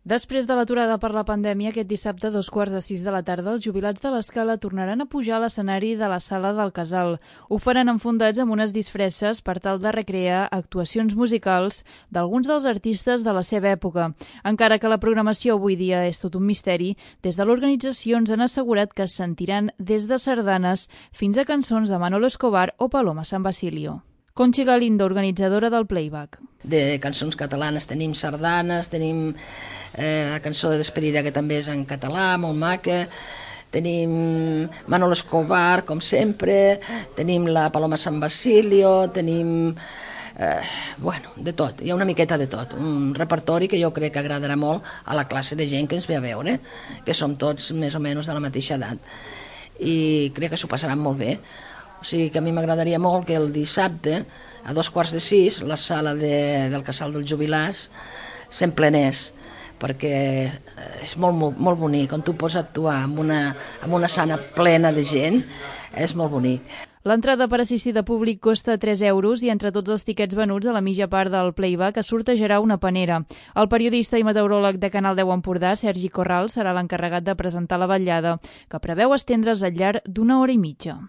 Després de l'aturada per la pandèmia, aquest dissabte a 5:15 de la tarda, els jubilats de l'Escala tornaran a pujar a l'escenari de la Sala del Casal. Ho faran enfundats amb unes disfresses per tal de recrear actuacions musicals d'alguns dels artistes de la seva època. Encara que la programació avui dia és tot un misteri, des de l'organització ens han assegurat que es sentiran des de sardanes fins a cançons de Manolo Escobar o Paloma San Basilio. Conchi Galindo, organitzadora del Playback. De cançons catalanes tenim sardanes, tenim la cançó de despedida que també és en català, molt maca, tenim Manolo Escobar, com sempre, tenim la Paloma San Basilio, tenim de tot, hi ha una miqueta de tot, un repertori que jo crec que agradarà molt a la classe de gent que ens ve a veure, que som tots més o menys de la mateixa edat, i crec que s'ho passaran molt bé. O sigui que a mi m'agradaria molt que el dissabte, a 5:45, la sala del Casal dels Jubilats s'emplenés, perquè és molt bonic. On tu pots actuar amb una sala plena de gent, és molt bonic. L'entrada per assistir de públic costa 3 euros i entre tots els tiquets venuts a la mitja part del Playback es sortejarà una panera. El periodista i meteoròleg de Canal 10 Empordà, Sergi Corral, serà l'encarregat de presentar la vetllada, que preveu estendre's al llarg d'1 hora i mitja.